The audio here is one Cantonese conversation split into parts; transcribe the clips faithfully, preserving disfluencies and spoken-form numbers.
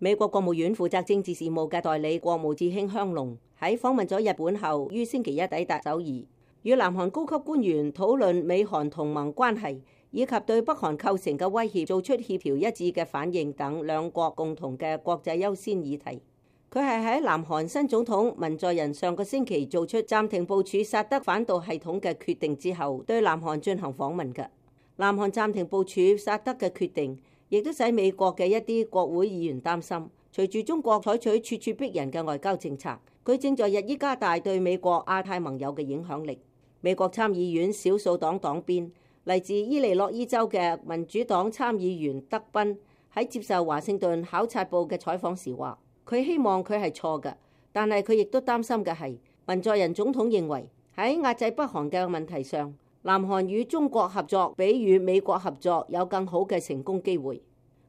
美國國務院負責政治事務嘅代理國務次卿香農喺訪問咗日本後，於星期一抵達首爾，與南韓高級官員討論美韓同盟關係以及對北韓構成嘅威脅，做出協調一致嘅反應等兩國共同嘅國際優先議題。佢係喺南韓新總統文在寅上個星期做出暫停部署薩德反導系統嘅決定之後，對南韓進行訪問嘅。南韓暫停部署薩德嘅決定，亦都使美國嘅一啲國會議員擔心，隨住中國採取咄咄逼人嘅外交政策，佢正在日益加大對美國亞太盟友嘅影響力。美國參議院少數黨黨鞭嚟自伊利諾伊州嘅民主黨參議員德賓喺接受華盛頓考察報嘅採訪時話，佢希望佢係錯嘅，但係佢亦都擔心嘅係文在寅總統認為喺壓制北韓嘅問題上，南韓與中國合作比與美國合作有更好嘅成功機會。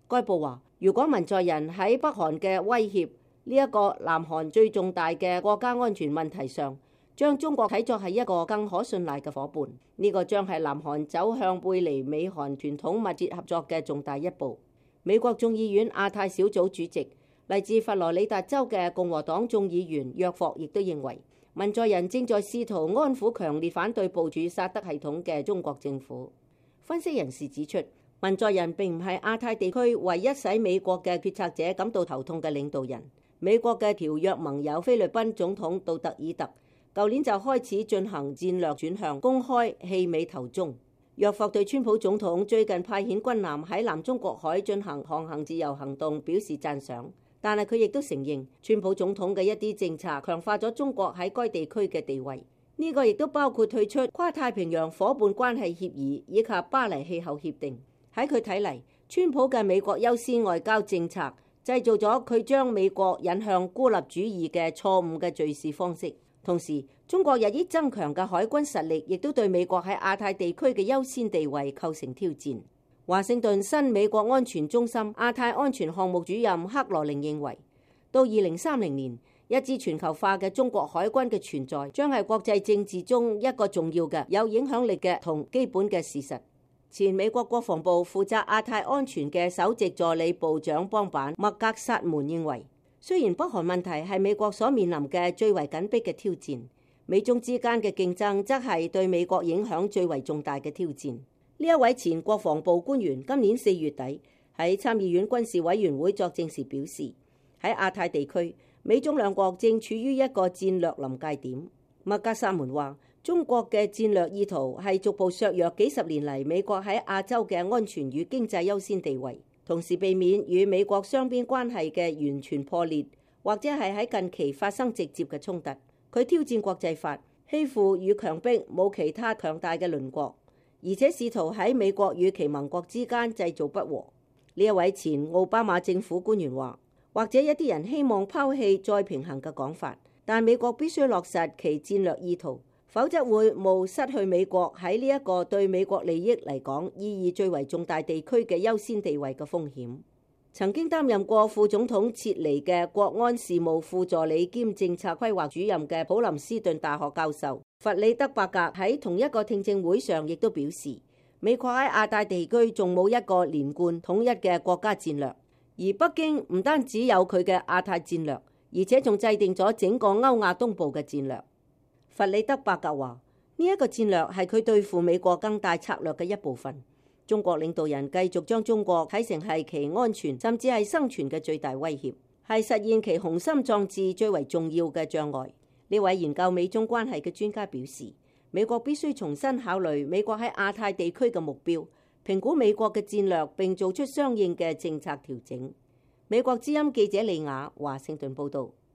該報話，如果文在寅喺北韓嘅威脅呢一個南韓最重大嘅國家安全問題上，將中國睇作係一個更可信賴嘅夥伴，呢個將係南韓走向背離美韓傳統密切合作嘅重大一步。美國眾議院亞太小組主席嚟自佛羅里達州嘅共和黨眾議員約霍亦都認為，文在寅正在試圖安撫強烈反對部署薩德系統嘅中國政府。分析人士指出，文在寅並唔係亞太地區唯一使美國嘅決策者感到頭痛嘅領導人。美國嘅條約盟友菲律賓總統杜特爾特舊年就開始進行戰略轉向，公開棄美投中。約霍對川普總統最近派遣軍艦喺南中國海進行航行自由行動表示讚賞，但係佢亦都承認川普總統嘅一啲政策強化咗中國喺該地區嘅地位。呢個亦都包括退出跨太平洋夥伴關係協議以及巴黎氣候協定。喺佢睇嚟，川普嘅美國優先外交政策製造咗佢將美國引向孤立主義嘅錯誤嘅敘事方式。同時，中國日益增強嘅海軍實力亦都對美國喺亞太地區嘅優先地位構成挑戰。華盛頓新美國安全中心亞太安全項目主任克羅寧認為，到二零三零年，一支全球化嘅中國海軍嘅存在將係國際政治中一個重要嘅有影響力嘅同基本嘅事實。前美國國防部負責亞太安全嘅首席助理部長邦板麥格薩門認為，雖然北韓問題係美國所面臨嘅最為緊迫嘅挑戰，美中之間嘅競爭則係對美國影響最為重大嘅挑戰。呢一位前國防部官員今年四月底喺參議院軍事委員會作證時表示，喺亞太地區，美中兩國正處於一個戰略臨界點。麥格薩門話，中國嘅戰略意圖係逐步削弱幾十年嚟美國喺亞洲嘅安全與經濟優先地位，同時避免與美國雙邊關係嘅完全破裂，或者係喺近期發生直接嘅衝突。佢挑戰國際法，欺負與強迫冇其他強大嘅鄰國，而且試圖喺美國與其盟國之間製造不和。呢一位前奧巴馬政府官員話，或者一啲人希望拋棄再平衡嘅講法，但美國必須落實其戰略意圖，否則會冒失去美國喺呢一個對美國利益嚟講意義最為重大地區嘅優先地位嘅風險。曾經擔任過副總統切尼嘅國安事務副助理兼政策規劃主任嘅普林斯頓大學教授弗里德伯格喺同一個聽證會上亦都表示，美國喺亞太地區仲冇一個連貫統一嘅國家戰略，而北京唔單止有佢嘅亞太戰略，而且仲制定咗整個歐亞東部嘅戰略。弗里德伯格話，呢一個戰略係佢對付美國更大策略嘅一部分。中國領導人繼續將中國睇成係其安全甚至係生存嘅最大威脅，係實現其雄心壯志最為重要嘅障礙。呢位研究美中關係嘅專家表示，美國必須重新考慮美國喺亞太地區嘅目標，評估美國嘅戰略並做出相應嘅政策調整。美國之音記者李雅華盛頓報導。